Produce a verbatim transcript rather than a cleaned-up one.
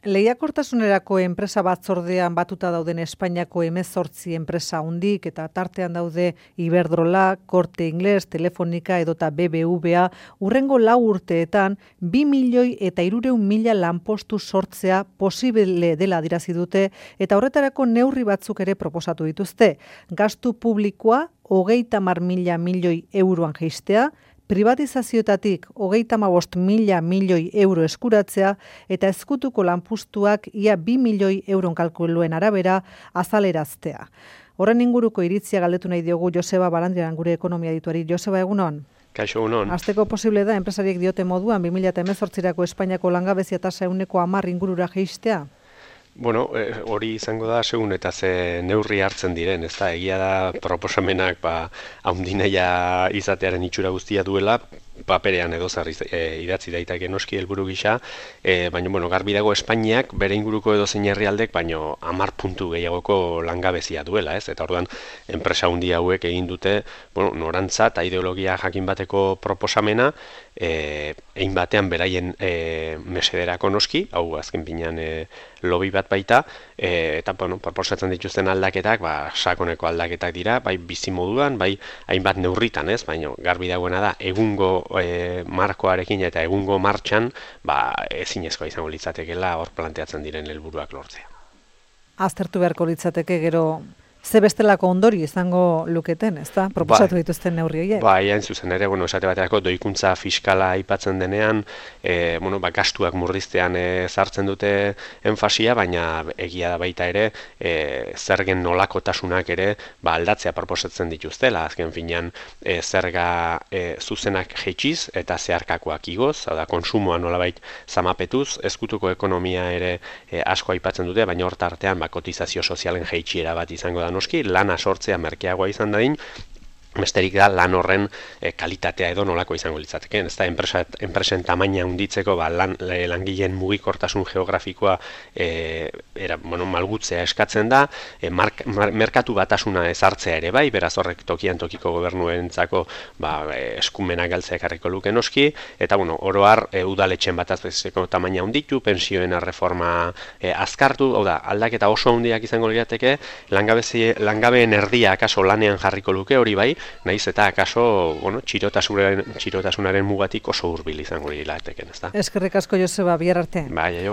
Lehiakortasunerako enpresa batzordean batuta dauden Espainiako hemezortzi enpresa hundik eta tartean daude Iberdrola, Corte Inglés, Telefonica edota B B V A urrengo lau urteetan bi milioi eta hirurehun mila lanpostu sortzea posible dela adierazi dute eta horretarako neurri batzuk ere proposatu dituzte. Gastu publikoa hogeita hamar mila milioi euroan jaistea, privatizazioetatik hogeita hamabost mila milioi euro eskuratzea eta ezkutuko lanpostuak ia bi milioi euron kalkuluen arabera azaleraztea. Horren inguruko iritzia galdetu nahi diogu Joseba Barandiaran gure ekonomia dituari. Joseba, egunon? Kaixo, egunon. Azteko posible da, enpresariek diote moduan, bi mila hemezortzirako Espainiako langabezia tasa ehuneko hamar ingurura jaistea? Bueno, hori izango da segun eta ze neurri hartzen diren, ez da, egia da proposamenak ba, haundinaia izatearen itxura guztia duela, paperean edo zer e, idatzi daiteke noski helburu gisa, e, baina bueno, garbi dago Espainiak bere inguruko edo zein herrialdek baino hamar puntu gehiagoko langabezia duela, ez? Eta orduan enpresa handi hauek egin dute, bueno, norantza eta ideologia jakin bateko proposamena, eh ein batean beraien e, mesederako noski, hau azken finean e, lobby bat baita, e, eta bueno, proposatzen dituzten aldaketak, ba sakoneko aldaketak dira, bai bizimoduan, bai hainbat neurritan, ez? Baina garbi dagoena da egungo e, markoarekin eta egungo martxan, ba ezinezkoa izango litzatekeela hor planteatzen diren helburuak lortzea. Aztertu beharko litzateke gero ze bestelako ondori izango luketen, ezta? Proposatu dituzten neurri horiek. Bai, hain zuzen ere, bueno, esate baterako doikuntza fiskala aipatzen denean, e, bueno, ba, gastuak murriztean e, sartzen dute enfasia, baina egia da baita ere, e, zergen nolakotasunak ere, ba, aldatzea proposatzen dituztela, azken finean e, zerga e, zuzenak jeitsiz eta zeharkakoak igoz, hau da, konsumoa nolabait zamapetuz, ezkutuko ekonomia ere e, asko aipatzen dute, baina hor tartean ba, kotizazio sozialen jeitsiera bat izango da noski, lana sortzea merkeagoa izan dadin, besterik da lan horren e, kalitatea edo nolako izango litzateke. Ez da, enpresa, enpresen tamaina handitzeko ba, lan, langileen mugikortasun geografikoa e, era, bueno, malgutzea eskatzen da, e, mark, mar, merkatu batasuna ezartzea ere bai, beraz horrek tokian tokiko gobernuentzako ba, eskumenak galtzea ekarriko luke noski, eta bueno, oroar e, udaletxen batazbesteko tamaina handitu, pensioen reforma e, azkartu, hau da, aldaketa oso handiak izango lirateke, langabeen erdia akaso lanean jarriko luke hori bai, naiz eta akaso, bueno, txirotasunaren, txirotasunaren mugatik oso hurbil izango lirateken, ezta? Eskerrik asko Joseba, bihar arte. Bai, aio.